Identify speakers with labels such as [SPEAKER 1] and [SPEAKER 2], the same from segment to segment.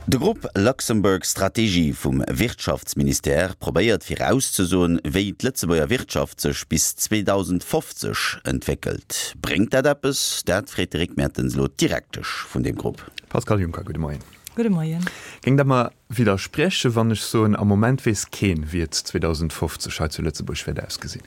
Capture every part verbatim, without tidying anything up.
[SPEAKER 1] De Grupp Luxembourg Stratégie vum Wirtschaftsministère probéiert virauszesoen, wéi d'Lëtzebuerger Wirtschaft sech bis zweedausendfofzeg entwéckelt. Bréngt dat eppes? Dat freet de Rick Mertens elo d'Direktesch vun deem Grupp.
[SPEAKER 2] Pascale Juncker, gudde Moien.
[SPEAKER 3] Gudde Moien.
[SPEAKER 2] Géingt Der mer widderspriechen, wann ech soen, am Moment weess keen, wéi et zweedausendfofzeg hei zu Lëtzebuerg wäert ausgesinn?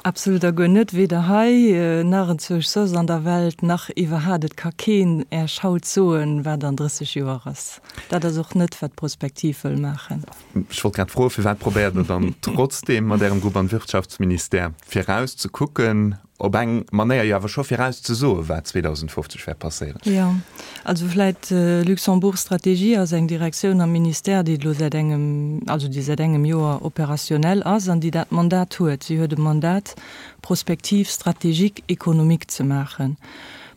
[SPEAKER 3] Absolut a guer net, weder hei, nach enzwousch soss an der Welt, nach iwwerhat. Et ka keen Äech haut soen, wat an drësseg Joer ass. Dat ass och net, wat d'Prospektiv wëll maachen.
[SPEAKER 2] Ech wollt grad froen, firwat probéiert Der dann trotzdeem mat Ärem Grupp am Wirtschaftsministère viraus ze kucken, op eng Manéier jo awer scho viraus ze soen, wat zweedausendfofzeg wäert passéieren?
[SPEAKER 3] Jo, also vläit, Luxembourg Stratégie ass eng Direktioun am Ministère, déi elo säit engem, also déi säit engem Joer opérationnel ass an déi dat Mandat huet. Si huet e Mandat, Prospective stratégique économique ze maachen.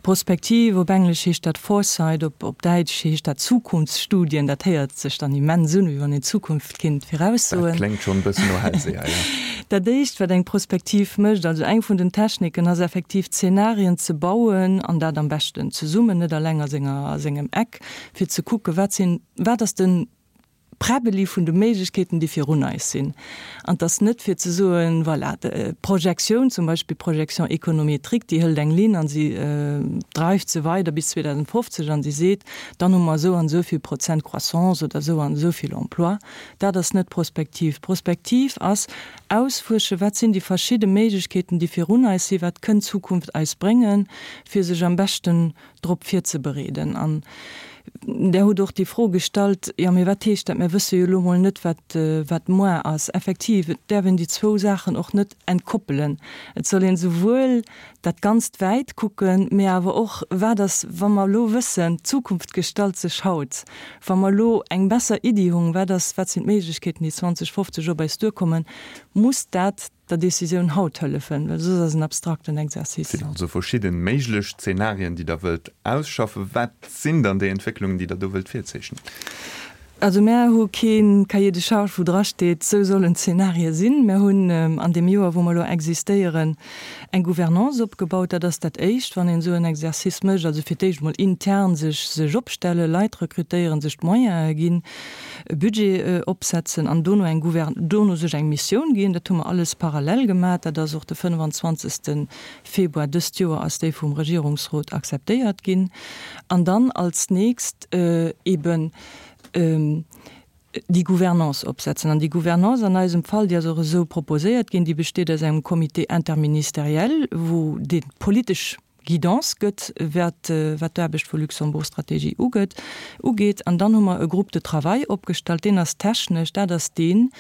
[SPEAKER 3] Prospektiv, op Englesch heescht dat Foresight, op op Däitsch heescht dat Zukunftsstudien. Dat héiert sech dann immens un, wéi wann een d'Zukunft kinnt
[SPEAKER 2] Dat
[SPEAKER 3] viraussoen.
[SPEAKER 2] kléngt schonn e bëssen no Hellseher, jo.
[SPEAKER 3] Dat éischt, wat eng Prospektiv mécht, also eng vun den Techniken, ass effektiv Zenarien ze bauen, an dat am beschten zesummen, net alleng a senger, a sengem Eck, fir ze kucken, wat sinn, wat ass de Präbbeli vun de Méiglechkeeten, déi virun eis sinn. An 't ass net fir ze soen, voilà, d'Projektioun, zum Beispill d'Projection économétrique, déi hëlt eng Linn an si dreift se weider bis zweedausendfofzeg an si seet, dann hu mer esou an esou vill Prozent Croissance oder esou an esou vill Emploi. Dat ass net prospektiv. Prospektiv ass ausfuersche, wat sinn déi verschidde Méiglechkeeten, déi virun eis sinn, wat kënnt d'Zukunft eis bréngen, fir sech am beschten drop virzebereeden. An Der hutt och déi Fro gestallt, jo, mee wat heescht dat? Mir wësse jo elo mol net, wat, wat moar ass. Effektiv, et däerf een déi zwou Saachen och net entkoppelen. Et soll een esouwuel dat Ganzt wäit kucken, mee awer och, wat ass, wa mer elo wëssen, d'Zukunft gestalt sech haut, wa mer elo eng besser Iddi hunn, wat ass, wat sinn d'Méiglechkeeten, déi zwanzeg fofzeg op eis duerkommen, muss dat der Decisioun haut hëllefen, well soss ass en abstrakten
[SPEAKER 2] Et
[SPEAKER 3] Exercice.
[SPEAKER 2] sinn also verschidde méiglech Zenarien, déi Der wëllt ausschaffen. Wat sinn dann déi Entwécklungen, déi Der do wëllt virzeechnen?
[SPEAKER 3] Also mär hu kee Cahier de charges, wou drasteet, esou sollen d'Zenarie sinn. Mär hunn an deem Joer, wou mer elo existéieren, eng Gouvernance opgebaut. Dat ass dat Éischt, wann een esou en Exercice mécht. Also fir d'éischt emol intern sech sech opstellen, Leit rekrutéieren, sech d'Moyene ginn, e Budget opsetzen an dono eng Gouvern-, dono sech eng Missioun ginn. Dat hu mer alles parallel gemaach. Dat ass och de fënnfanzwanzegste Februar dëst Joer ass déi vum Regierungsrot akzeptéiert ginn. An dann als nächst eben déi Gouvernance opsetzen. An déi Gouvernance an eisem Fall, déi ass och esou proposéiert ginn, déi besteet aus engem Comité interministériel, wou dee politesch Guidance gëtt, wat wat d'Aarbecht vu Luxembourg Stratégie ugëtt, ugeet. An dann hu mer e Groupe de travail opgestallt, deen ass technesch, dat ass deen,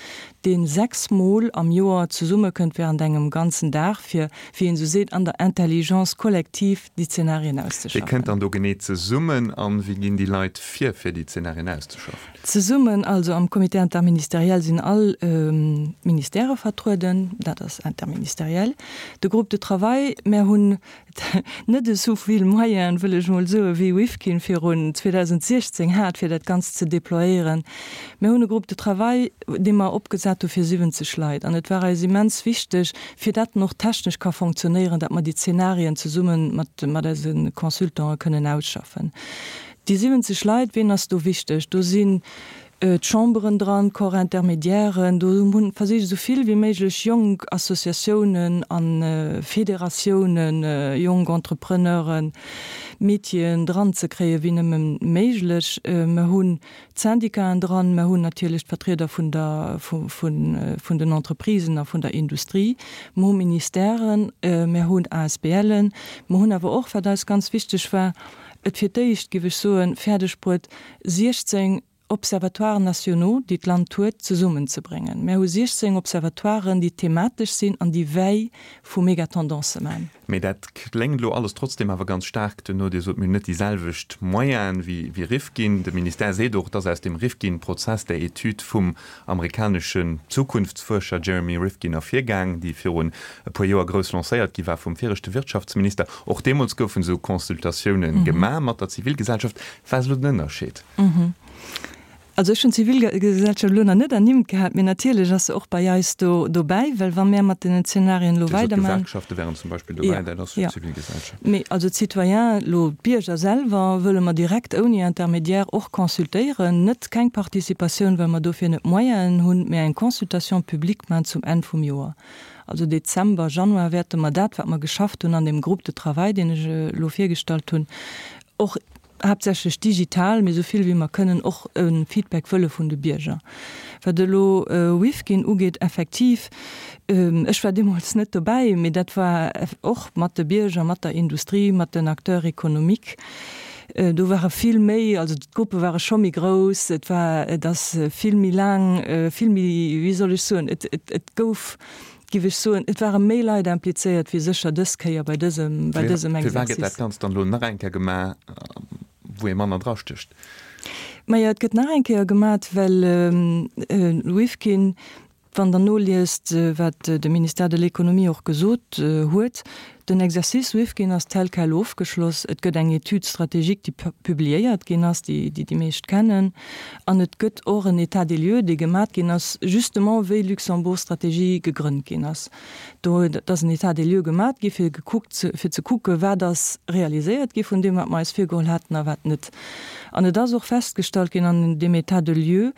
[SPEAKER 3] dee sechs Mol am Joer zesummekënnt während engem ganzen Dag, fir, wéi een esou seet, an der Intelligence collective déi Zenarien
[SPEAKER 2] Wie
[SPEAKER 3] auszeschaffen.
[SPEAKER 2] kënnt dann do genee zesummen a wéi ginn déi Leit vir, fir déi Zenarien auszeschaffen?
[SPEAKER 3] Zesummen, also am Comité interministériel sinn all Ministèrë vertrueden, dat ass interministériel. De Groupe de travail, mär hunn net esou vill Moyenen, wëll ech emol soen, wéi Rifkin virun zweedausentsiechzéng hat, fir dat Ganzt ze déployéieren. Mir hunn e Groupe de travail, dee mer opgesat hu fir siwwenzeg Leit. An et war eis immens wichteg, fir dat en och technesch ka fonctionnéieren, datt mer déi Zenarien zesumme mat, mat eise Consultante kënnen ausschaffen. Déi siwwenzeg Leit, ween ass do wichteg? Do sinn d'Chamberen dran, d'Corps intermédiairen, do hunn versicht esou vill wéi méiglech jonk Associatiounen a Federatiounen, jonk Entrepreneuren, Métieren dranzekréien, wéi nëmme méiglech. Mer hunn d'Syndicaten dran, mer hunn natierlech d'Vertrieder vun der, vun den Entreprisen a vun der Industrie, mer hu Ministèren, mer hunn A S B Len, mer hunn awer och, wat eis ganz wichteg war, et fir d'éischt, géif ech soen, fäerdeg bruet, siechzéng Observatoires nationaux, déi d'Land huet, zesummenzebréngen. Mär hu siechzéng Observatoiren, déi thematesch sinn an déi Veille vu Megatendancë man.
[SPEAKER 2] Mee dat kléngt elo alles trotzdem awer ganz staark duerno. Dir sot, mir hunn net déi selwecht Moyene wéi Rifkin. De Ministère seet och, dass aus dem Rifkin-Prozess, där Etüd vum amerikaneschen Zukunftsfuerscher Jeremy Rifkin ervirgaang, déi virun e puer Joer grouss lancéiert gi war vum viregte Wirtschaftsminister. Och deemools goufen esou Consultatioune gemaach mat der Zivilgesellschaft. Wat ass elo den Ënnerscheed?
[SPEAKER 3] Also ech hunn d'Zivilgesellschaft elo nach net ernimmt gehat, mee natierlech ass se och bei eis do dobäi, well wa mär mat deenen Zenarien elo
[SPEAKER 2] Dir sot,
[SPEAKER 3] weiderman.
[SPEAKER 2] D'Gewerkschafte wären zum Beispill dobäi,
[SPEAKER 3] Ja,
[SPEAKER 2] dat ass jo
[SPEAKER 3] ja.
[SPEAKER 2] d'Zivilgesellschaft.
[SPEAKER 3] Mee also d'Citoyens, elo d'Bierger selwer, wëlle mer direkt ouni Intermédiaire och consultéieren. Net keng Participatioun, well mer dofir net d'Moyenen hunn, mee eng Consultation publique man zum Enn vum Joer. Also Dezember, Januar wäerte mer dat, wat mer geschafft hunn an deem Groupe de travail, deen ech elo virgestallt hunn, och haaptsächlech digital, mee esou vill wéi mer kënnen och e Feedback wëlle vun de Bierger. Wat elo Rifkin ugeet, effektiv, ech war deemools net dobäi, mee dat war och mat de Bierger, mat der Industrie, mat den Acteurs économiques. Do ware vill méi, also d'Gruppe ware scho méi grouss, et war, et ass vill méi laang, vill méi, wéi soll ech soen, et, et, et gouf, giff ech soen, et ware méi Leit implizéiert wéi sécher dës Kéier bei dësem, bei dësem
[SPEAKER 2] Firwat gëtt dat
[SPEAKER 3] Exercice.
[SPEAKER 2] Ganzt dann elo nach eng Kéier gemaach, wou ee manner drastécht?
[SPEAKER 3] Majo, et gëtt nach eng Kéier gemat, well Rifkin, wann Der noliest, wat de Ministère de l'Économie och gesot huet, den Exercice Rifkin ass tel quel ofgeschloss, et gëtt eng Étude stratégique, déi publiéiert ginn ass, déi déi meescht kennen, an et gëtt och en État des lieux, dee gemat ginn ass, justement wéi Luxembourg-Stratégie gegrënnt ginn ass. Do ass en État des lieux gemat gi fir gekuckt, fir ze kucke wat ass realiséiert gi vun deem, wat mer eis virgeholl haten a wat net. An et ass och festgestallt ginn an deem État de lieux,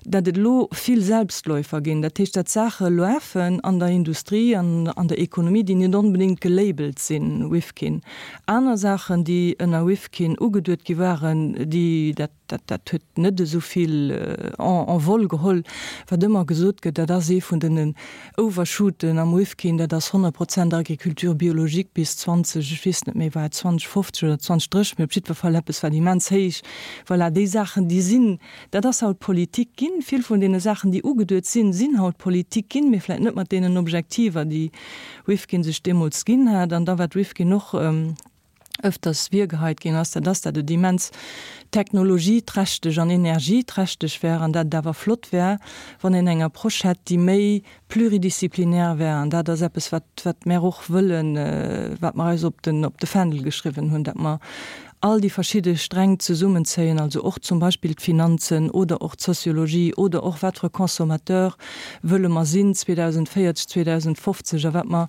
[SPEAKER 3] datt et elo vill Selbstläufer ginn, dat heescht, datt Saache lafen an der Industrie an an der Ekonomie, déi net onbedéngt gelabelt sinn Rifkin. Aner Saachen, déi ënner Rifkin ugeduet gi waren, déi, dat, dat, dat huet net esou vill Envol geholl. Wat ëmmer gesot gëtt, dat ass ee vun den Overshooten am Rifkin, dat ass honnert Prozent Agriculture biologique bis zwanzeg, ech weess net méi, war et zwanzeg fofzeg oder zwanzeg drécheg, mee op jiddwer Fall eppes, wat immens héich, voilà, déi Saachen, déi sinn, dat ass haut Politik ginn. Vill vun deene Saachen, déi ugeduet sinn, sinn haut Politik ginn, mee vläicht net mat deenen Objektiver, déi Rifkin sech deemools ginn hat. An da wat Rifkin och ëfters virgeheit ginn ass, dat ass, datt et immens technologieträchteg an energieträchteg wär an datt et awer flott wär, wann een eng Approche hätt, déi méi pluridisziplinär wär. An dat ass eppes, wat, wat mär och wëllen, wat mer eis op den, op de Fändel geschriwwen hunn, datt mer all déi verschidde Sträng zesummenzéien, also och zum Beispill d'Finanzen oder och d'Sociologie oder och wat fir e Consommateur wëlle mer sinn zweedausendvéierzeg, zweedausendfofzeg a wat mer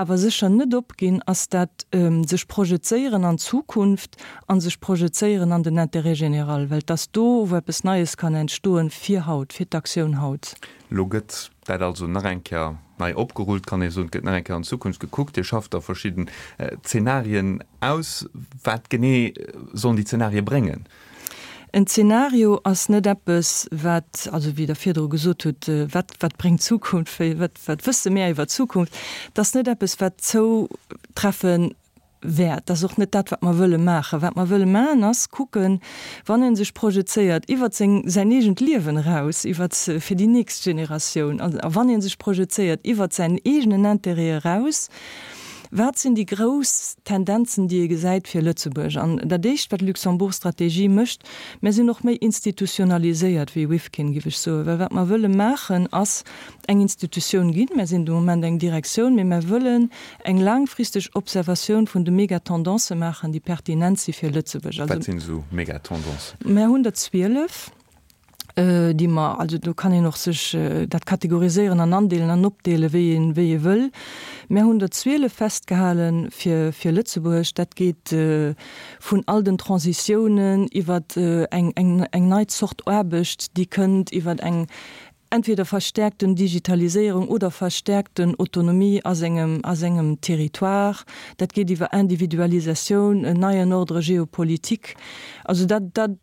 [SPEAKER 3] awer sécher net opginn, ass dat sech projezéieren an d'Zukunft a sech projezéieren an den Intérêt général, well et ass do, wou eppes Neies kann entstoen, fir haut, fir d'Aktioun haut.
[SPEAKER 2] Elo gëtt dat also nach eng Kéier nei opgerullt, kann ee soen, et gëtt nach eng Kéier an d'Zukunft gekuckt. Dir schafft da verschidden Zenarien aus. Wat genee sollen déi Zenarie bréngen?
[SPEAKER 3] En Zenario ass net eppes, wat, also wéi Der virdru gesot hutt, wat, wat bréngt d'Zukunft, wéi, wat, wat wësse mir iwwer d'Zukunft, dat ass net eppes, wat zoutreffe wäert. Dat ass och net dat, wat mer wëlle maachen. Wat mer wëlle maachen, ass kucken, wann ee sech projezéiert iwwer seng, säin eegent Liewen eraus, iwwer, fir déi nächst Generatioun, a wann ee sech projezéiert iwwer säin eegenen Intérêt eraus, Wat sinn déi grouss Tendenzen, déi ee gesäit fir Lëtzebuerg? An dat éischt, wat d'Luxembourg-Strategie mécht, Mir sinn och méi institutionaliséiert wéi Rifkin, géif ech soen, well wat mer wëlle maachen, ass eng Institutioun ginn. Mir sinn de Moment eng Direktioun, mee mer wëllen eng laangfristeg Observatioun vun de Megatendancë maachen, déi pertinent si fir Lëtzebuerg.
[SPEAKER 2] Wat sinn esou Megatendancen?
[SPEAKER 3] Mer hunn der zwielef. déi mer, also do kann een och sech dat kategoriséieren an andeelen an opdeelen, wéi een, wéi ee wëll. Mär hunn der zwielef festgehale fir, fir Lëtzebuerg. Dat geet vun all den Transitiounen iwwer eng, eng, eng nei Zort Aarbecht, déi kënnt, iwwer eng entweder verstärkten Digitaliséierung oder verstärkten Autonomie a sengem, a sengem Territoire. Dat geet iwwer Individualisatioun, en neien Ordre géopolitique. Also dat, dat,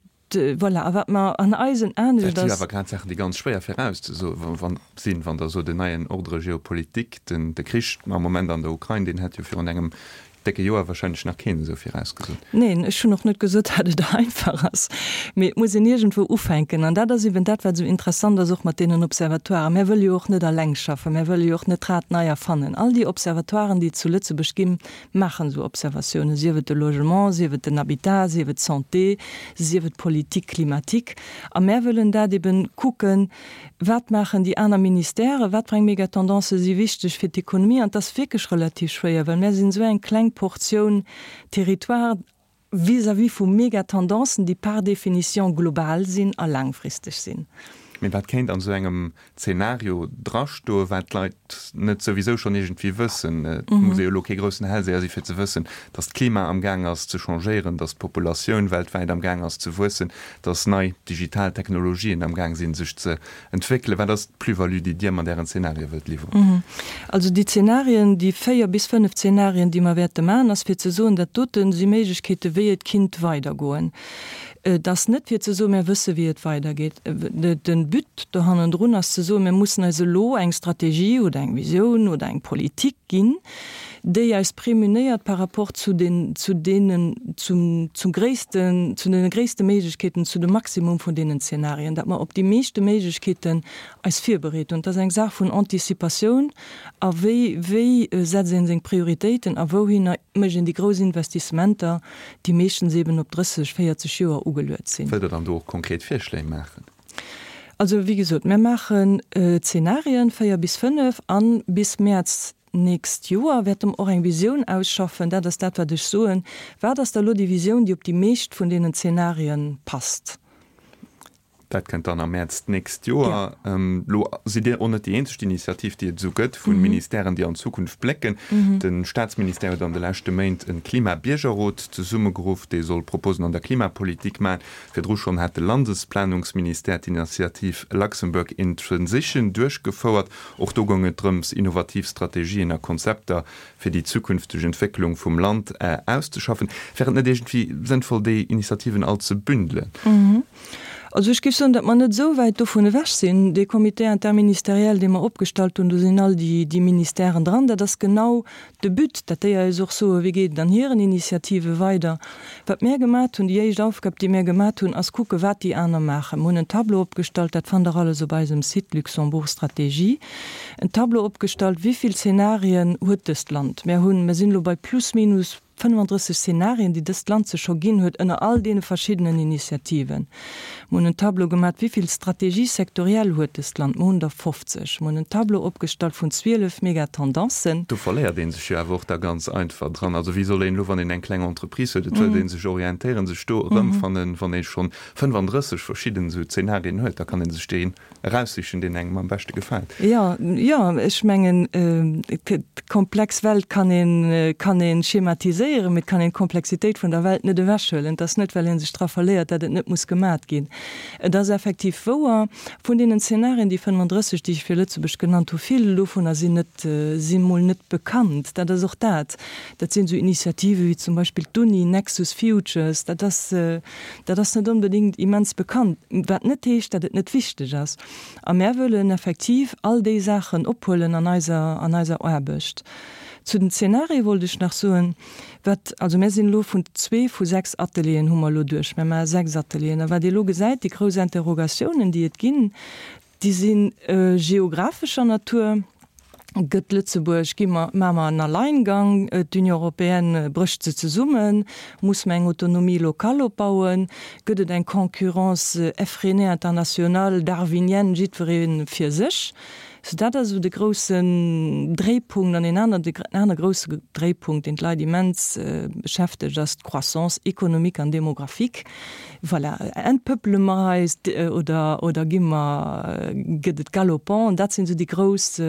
[SPEAKER 3] Voilà, a wat mer an eisen Aen,
[SPEAKER 2] Dat si awer grad Saachen, déi ganz schwéier virauszesoe sinn, wann Der sot, en neien Ordre géopolitique, den de Krich am Moment an der Ukrain, deen hätt jo virun engem décke Joer wahrscheinlech nach keen esou virausgesot.
[SPEAKER 3] Neen, ech hunn och net gesot, datt et einfach ass, mee et muss een iergendwou ufänken. An dat ass eben dat, wat esou interessant ass, och mat deenen Observatoiren. Mär wëlle jo och net eleng schaffen, mär wëlle jo och net d'Rad nei erfannen. All déi Observatoiren, déi et zu Lëtzebuerg ginn, maachen esou Observatiounen, sief et de Logement, sief et den Habitat, sief et d'Santé, sief et d'Politique climatique. A mär wëllen dat eben kucken, Wat maachen déi aner Ministèrë, wat fir eng Megatendancë si wichteg fir d'Ekonomie? An et ass wierklech relativ schwéier, well mär sinn esou eng kleng Portioun Territoire, vis-à-vis vu Megatendenzen, déi par définition global sinn a laangfristeg sinn.
[SPEAKER 2] Mee wat kéint an esou engem Zeenario drastoen, wat d'Leit net souwisou schonn iergendwéi wëssen? Et muss ee jo elo kee groussen Hellseher si fir ze wëssen, datt d'Klima am Gaang ass ze changéieren, datt d'Populatioun weltwäit am Gaang ass ze wuessen, datt nei digital Technologien am Gaang sinn sech ze entwéckelen. Wat ass d'Plus-value, déi Dir mat Ären Zeenarie wëllt liwweren?
[SPEAKER 3] Also déi Zeenarien, déi véier bis fënnef Zeenarien, déi mer wäerte maachen, ass fir ze soen, dat dote si Méiglechkeete wéi et kinnt weidergoen. Et ass net fir ze soen, mir wësse wéi et weidergeet. De But do hannendrun ass ze soen, mir mussen eis elo eng Strategie oder eng Visioun oder eng Politik ginn, déi eis prémunéiert par rapport zu den, zu deenen, zum, zum gréissten, zu deene gréisste Méiglechkeeten, zu dem Maximum vun deenen Zenarien, datt mer op déi meeschte Méiglechkeeten eis virbereet hunn. Et ass eng Saach vun Anticipatioun a wéi, wéi setzt ee seng Prioritéiten a wouhinner mécht een déi grouss Investissementer, déi meeschtens eben op drësseg, véierzeg Joer ugeluet sinn.
[SPEAKER 2] Wëllt Der dann do och konkret Virschléi maachen?
[SPEAKER 3] Also, wéi gesot, mir maachen Zenarien, véier bis fënnef, a bis Mäerz d'nächst Joer wäerte mer och eng Visioun ausschaffen. Dat ass dat, wat ech soen. Wat ass da elo déi Visioun, déi op déi meescht vun deenen Zenarien passt?
[SPEAKER 2] Dat kënnt dann am Mäerz d'nächst Joer. Elo sidd Dir och net déi eenzeg Initiativ, déi et esou gëtt vu Ministèren, déi an d'Zukunft blécken. De Staatsministère huet an de leschte Méint e Klimabiergerrot zesummegeruff, dee soll Proposen an der Klimapolitik maachen. Virdru schonn hat de Landesplanungsministère d'Initiativ Luxembourg in Transition duerchgefouert. Och do goung et drëms, innovativ Strategien a Konzepter fir déi zukünfteg Entwécklung vum Land auszeschaffen. Wär et net iergendwéi sënnvoll, déi Initiativen all ze bündelen?
[SPEAKER 3] Also ech géif soen, datt mer net esou wäit dovun ewech sinn. Dee Comité interministériel, dee mer opgestallt hunn, do sinn all déi Ministèren dran. Dat ass genau de But, datt déi eis och soen, wéi geet et an hiren Initiative weider. Wat mär gemat hunn, déi éischt Aufgab, déi mär gemat hunn, ass kucke wat déi aner maachen. Mer hunn en Tableau opgestallt, dat fannt Der alles op eisem Site Luxembourg Stratégie, en Tableau opgestallt, wéi vill Zenarien huet dëst Land. Mär hunn, mär sinn elo bei plus minus fënnefandrësseg Szenarien, déi dëst Land sech scho ginn huet ënner all deene verschiddenen Initiativen. Mer hunn en Tableau gemaat, wéi vill Stratégies sectorielles huet dëst Land, mer hunn der fofzeg. Mer hunn en Tableau opgestallt vun zwielef Megatendancen.
[SPEAKER 2] Do verléiert ee sech jo awer och da ganz einfach dran. Also wéi soll een elo, wann een eng kleng Entreprise huet, et wëllt ee sech orientéieren, sech do erëmfannen, wann ee schonn fënnefandrësseg verschidden esou Szenarien huet? Da kann ee sech deen eraussichen, deen engem am beschte gefält.
[SPEAKER 3] Jo, jo, ech mengen, d'komplex Welt kann een, kann ee schematiséieren, mee et kann een d'Komplexitéit vun der Welt net ewechhuelen. Et ass net, well ee sech dra verléiert, datt et net muss gemat ginn. Et ass effektiv wouer, vun deenen Zenarien, déi fënnefandrësseg, déi ech fir Lëtzebuerg genannt hu, vill dovunner sinn net, si mol net bekannt. Dat ass och dat. Dat sinn esou Initiative wéi zum Beispill d'Uni, Nexus Futures, dat ass, dat ass net onbedéngt immens bekannt, wat net heescht, datt et net wichteg ass. A mär wëllen effektiv all déi Saachen ophuelen an eiser, an eiser Aarbecht. Zu den Zenarie wollt ech nach soen, wat, also mär sinn elo vun zwee vu sechs Atelieren hu mer elo duerch, mär maache sechs Atelieren, a wat ee elo gesäit, déi grouss Interrogatiounen, déi et ginn, déi si geographescher Natur. Gëtt Lëtzebuerg, gi mer, maache mer en Alleingang, d'Union européenne brécht se zesummen, muss mer eng Autonomie locale opbauen, gëtt et eng Concurrence effrénée internationale, darwinienne, jiddweree fir sech? Sou dat ass esou de groussen Dréipunkt. An een aner, en aner grousse Dréipunkt, deen d'Leit immens beschäftegt, ass d'Croissance économique an démographique. Voilà, entpëppele mer eis oder, oder gi mer, gëtt et galopant? Dat sinn esou déi grouss,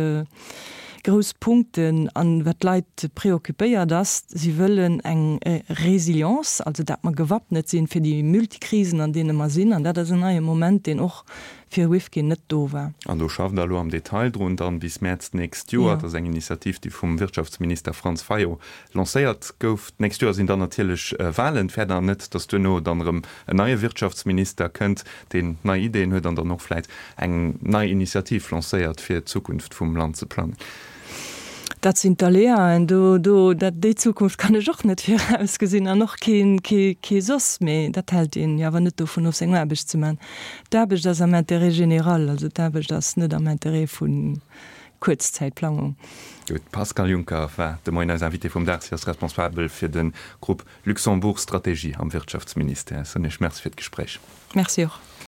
[SPEAKER 3] grouss Punkten. An wat d'Leit preoccupéiert ass, si wëllen eng Résilience, also dat mer gewappnet sinn fir déi Multikrisen, an deene mer sinn. An dat ass en neie Moment, deen och fir Rifkin net do war.
[SPEAKER 2] An do schafft Der elo am Detail drun, dann bis Mäerz d'nächst Joer. Dat ass eng Initiativ, déi vum Wirtschaftsminister Franz Fayot lancéiert gouf. D'nächst Joer sinn dann natierlech Wahlen. Fäert Der net, datt duerno dann erëm en neie Wirtschaftsminister kënnt, deen nei Ideeën huet an dann och vläit eng nei Initiativ lancéiert, fir d'Zukunft vum Land ze plangen?
[SPEAKER 3] Dat sinn d'Aléaen. Do, do, dat, déi Zukunft kann ech och net virausgesinn an och keen, kee, kee soss. Mee dat hält een jo awer net dovun of, seng Aarbecht ze man. D'Aarbecht ass am Intérêt général, also d'Aarbecht ass net am Intérêt vu Kuerzzäitplangung.
[SPEAKER 2] Gutt, d'Pascale Juncker war de Moien eis Invitée vum Dag. Si ass Responsabel fir de Grupp Luxembourg Stratégie am Wirtschaftsministère. Ech soen Iech Merci fir d'Gespréich.
[SPEAKER 3] Merci och.